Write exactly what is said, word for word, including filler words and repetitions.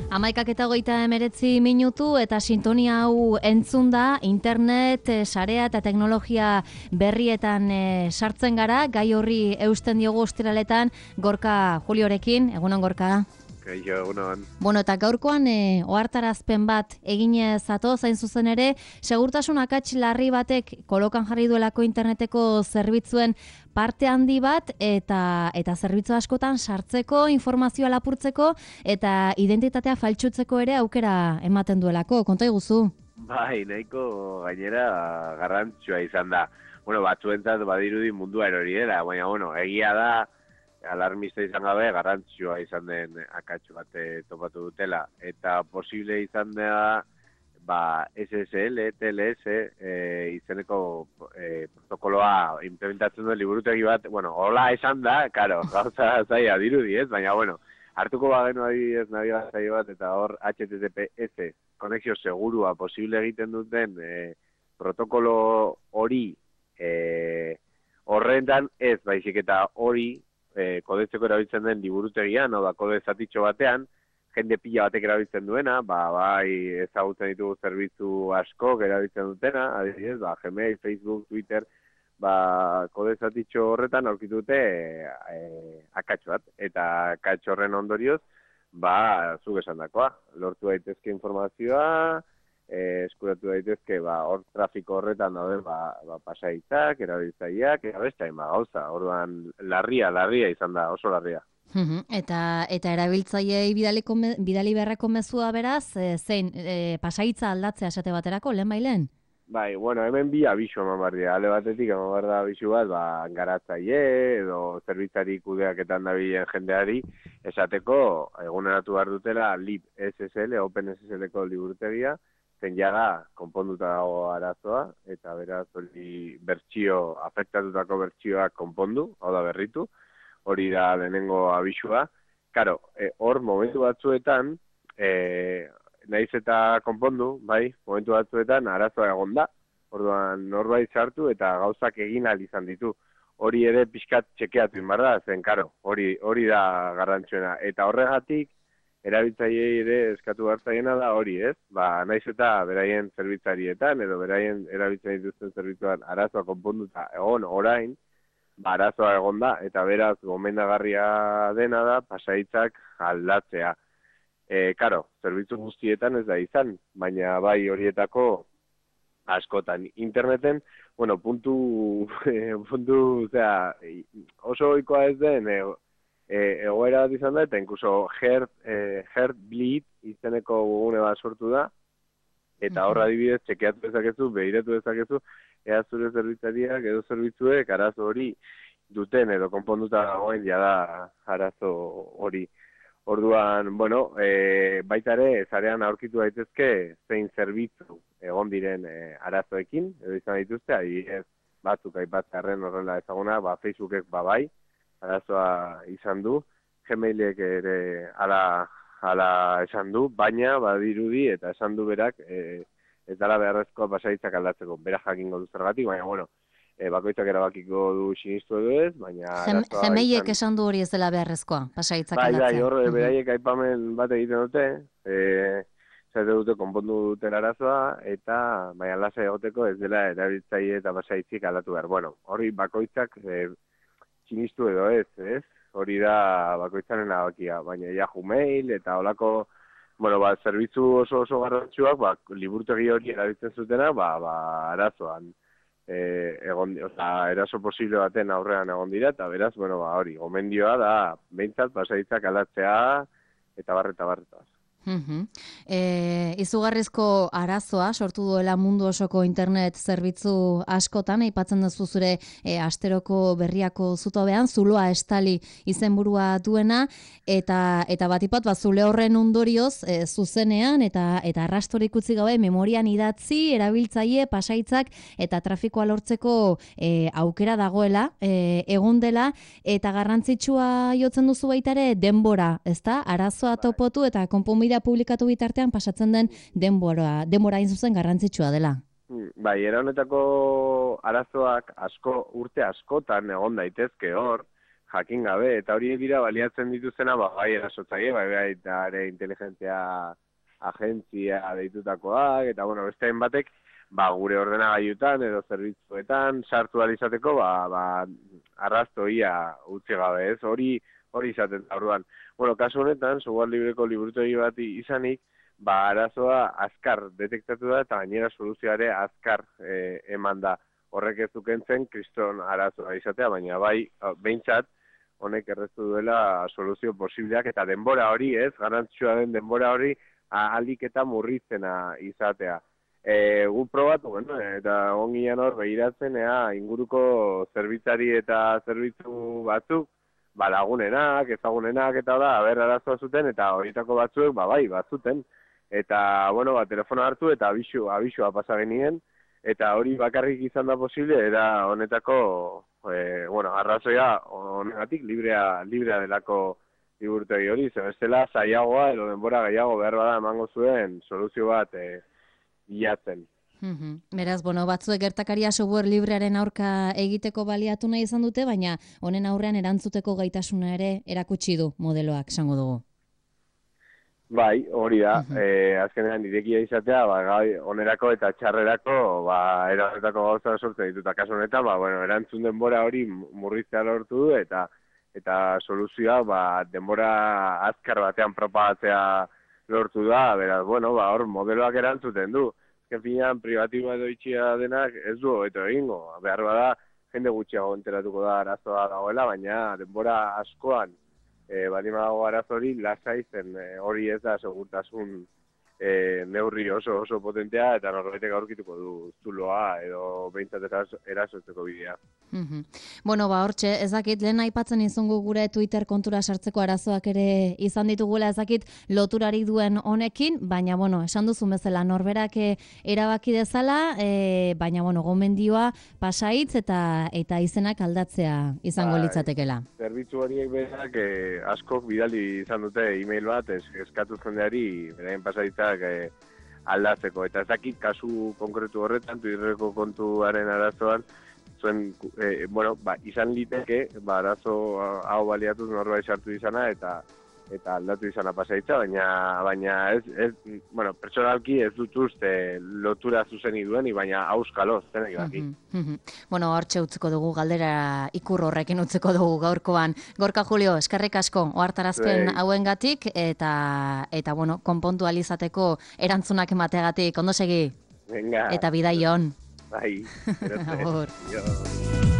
Hamaikak eta hogeita hemeretzi minutu eta sintonia hau entzun da, internet, sarea eta teknologia berrietan e, sartzen gara, gai horri eusten diogu ostiraletan Gorka Juliorekin, egunon Gorka. Kaixo, egunon. Bueno, eta gaurkoan e, ohartarazpen bat eginez zatoz, hain zuzen ere, segurtasun akats larri batek kolokan jarri duelako interneteko zerbitzuen parte handi bat eta eta zerbitzu askotan sartzeko, informazioa lapurtzeko eta identitatea faltsutzeko ere aukera ematen duelako. Konta iguzu. Bai, nahiko gainera garrantzitsua izan da. Bueno, batzuentzat badirudi mundua erori dela, baina bueno, egia da alarmista izan gabe garrantzitsua izan den akatsu bat topatu dutela eta posible izan da ba S S L, T L S e, izeneko e, protokoloa implementatzen duen liburutegi bat, bueno, hola esan da, karo, gauza zaila dirudi, ez? Baina, bueno, hartuko bagenu adibidez nabigatzaile bat eta hor H T T P S konexio segurua posible egiten duten e, protokolo hori e, horrentan ez, baizik eta hori e, kodetzeko erabiltzen den liburutegian, hau da kode zatitxo batean, jende pila batek erabiltzen duena, ba, bai ezagutzen ditugu zerbitzu asko erabiltzen dutena, adibidez, ba, Gmail, Facebook, Twitter, ba, kode zatitxo horretan aurkitu dute e, akatsu bat, eta akatsu horren ondorioz, ba, zuk esan dakoa, lortu daitezke informazioa, e, eskuratu daitezke, ba, hor trafiko horretan daude, ba, ba pasaitzak, erabiltzaileak, eta beste hainbat gauza, orduan larria, larria izan da, oso larria. Eta eta erabiltzaileei bidaliko bidali beharreko mezua beraz, e, zein e, pasaitza aldatzea esate baterako lehen bailen? Bai, bueno, hemen bi abisu eman behar dira. Ale batetik eman behar da abisu bat, ba, garatzaile edo zerbitzari kudeaketan dabilen jendeari esateko eguneratu behar dutela libSSL, OpenSSL-ko liburutegia, zen jaga konponduta dago arazoa, eta beraz hori bertsio, afektatutako bertsioak konpondu, hau da berritu, hori da lehenengo abisua. Karo, hor e, momentu batzuetan, e, naiz eta konpondu, bai, momentu batzuetan arazoa egon da, orduan norbait sartu eta gauzak egin ahal izan ditu. Hori ere pixkat txekeatu inbar da, zen karo, hori, hori da garrantzuena. Eta horregatik, erabiltzaileei ere eskatu hartzaiena da hori, ez? Ba, naiz eta beraien zerbitzarietan edo beraien erabiltzen dituzten zerbitzuan arazoa konponduta egon orain, ba, arazoa egon da, eta beraz gomendagarria dena da pasaitzak aldatzea. E, karo, zerbitzu guztietan ez da izan, baina bai horietako askotan. Interneten, bueno, puntu, puntu, zera, oso ohikoa ez den, e, e, egoera bat izan da, eta inkluso Heart, e, Heartbleed izeneko gune bat sortu da, eta horra adibidez, txekeatu dezakezu, behiratu dezakezu, ea zure zerbitzariak edo zerbitzuek arazo hori duten edo konponduta dagoen jada arazo hori. Orduan, bueno, e, baita ere, zarean aurkitu daitezke zein zerbitzu egon diren e, arazoekin, edo izan dituzte, adibidez batzuk aipatzearren horrela ezaguna, ba, Facebookek babai, arazoa izan du, Gmailek ere ala, ala esan du, baina badirudi eta esan du berak, e, ez dela beharrezkoa pasaitzak aldatzeko, berak jakingo du zergatik, baina, bueno, e, bakoitzak erabakiko du sinistu edo ez, baina... Gmailek esan du hori ez dela beharrezkoa, pasaitzak aldatzea. Bai, bai, hor, beraiek aipamen bat egiten dute, e, zaite dute konpondu duten arazoa, eta baina lasai egoteko ez dela erabiltzaile eta pasaitzik aldatu behar. Bueno, hori bakoitzak e, sinistu edo ez, ez? Hori da bakoitzaren erabakia, baina Yahoo Mail eta holako... Bueno, ba, zerbitzu oso oso garrantzuak, ba, liburutegi hori erabiltzen zutena, ba, ba, arazoan, e, egon, oza, eraso posible baten aurrean egon dira, eta beraz, bueno, ba, hori, gomendioa da, behintzat, pasaitzak aldatzea, eta barreta barretaz. Uh-huh. E, izugarrizko arazoa sortu duela mundu osoko internet zerbitzu askotan, aipatzen duzu zure e, asteroko berriako zutobean, zuloa estali izenburua duena, eta eta batipat bat zule horren ondorioz e, zuzenean eta eta arrastorik utzi gabe memorian idatzi, erabiltzaile, pasaitzak eta trafikoa lortzeko e, aukera dagoela, e, egon dela, eta garrantzitsua jotzen duzu baita ere denbora, ezta? Arazoa topotu eta konponbidea publikatu bitartean pasatzen den denbora, denbora hain zuzen garrantzitsua dela. Bai, era honetako arazoak asko urte askotan egon daitezke hor, jakin gabe, eta hori dira baliatzen dituzena, ba, bai erasotzaile, bai bai eta ere inteligentzia agentzia deitutakoak, eta bueno, beste batek, ba, gure ordenagailutan edo zerbitzuetan sartu ahal izateko, ba, ba, arrastoia utzi gabe, ez? Hori hori izaten da, orduan. Bueno, kasu honetan, software libreko liburutegi bat izanik, ba, arazoa azkar detektatu da, eta gainera soluzioare azkar e, eman da. Horrek ez dukentzen kriston arazoa izatea, baina bai, behintzat, honek errestu duela soluzio posibleak, eta denbora hori, ez, garantzua den denbora hori, ahalik eta murriztena izatea. E, gu probatu, bueno, eta ongian hor behiratzen, ea, inguruko zerbitzari eta zerbitzu batzuk, ba, lagunenak, ezagunenak, eta da, haber arazoa zuten, eta horietako batzuek, ba, bai, batzuten. Eta, bueno, ba, telefono hartu, eta abisu, abisua pasa genien, eta hori bakarrik izan da posible, era honetako, e, bueno, arrazoia honegatik librea, librea delako liburutegi hori, ze bestela zailagoa edo denbora gehiago behar bada emango zuen soluzio bat e, bilatzen. Mm-hmm. Beraz, bueno, batzuek gertakaria software librearen aurka egiteko baliatu nahi izan dute, baina honen aurrean erantzuteko gaitasuna ere erakutsi du modeloak, esango dugu. Bai, hori da, Mm-hmm. e, azkenean irekia izatea, ba, gai, onerako eta txarrerako, ba, erantzutako gauza sortzen dituta kasu honetan, ba, bueno, erantzun denbora hori murriztea lortu du, eta eta soluzioa, ba, denbora azkar batean propagatzea lortu da, beraz, bueno, ba, hor modeloak erantzuten du. Azken finean, privatiboa edo itxia denak ez du hobeto egingo. Behar bada, jende gutxiago enteratuko da arazoa dagoela, baina denbora askoan, E, badima dago arazori, lasai zen e, hori ez da segurtasun e, neurri oso oso potentea, eta norbaitek aurkituko du zuloa edo behintzat erasotzeko bidea. Mm-hmm. Bueno, ba, hortxe, ez dakit, lehen aipatzen izango gure Twitter kontura sartzeko arazoak ere izan ditugula, ez dakit loturari duen honekin, baina, bueno, esan duzun bezala, norberak erabaki dezala, e, baina, bueno, gomendioa pasaitz eta eta izenak aldatzea izango ba, litzatekela. Zerbitzu horiek berak eh, askok bidali izan dute e-mail bat, es, eskatu jendeari beraien pasaitzak eh, aldatzeko, eta ez dakit kasu konkretu horretan, Twitterreko kontuaren arazoan, zuen, eh, bueno, ba, izan liteke, ba, arazo hau baliatuz norbait sartu izana, eta eta aldatu izana pasaitza, baina baina ez, ez bueno, pertsonalki ez dut uste lotura zuzeni duen, baina auskalo, zenek daki. Mm-hmm. Mm-hmm. Bueno, hortxe utziko dugu, galdera ikur horrekin utziko dugu gaurkoan. Gorka Julio, eskerrik asko, ohartarazpen hauengatik, eta, eta bueno, konpontu alizateko erantzunak emateagatik, ondo segi? Venga. Eta bidai on. Bai. Agur.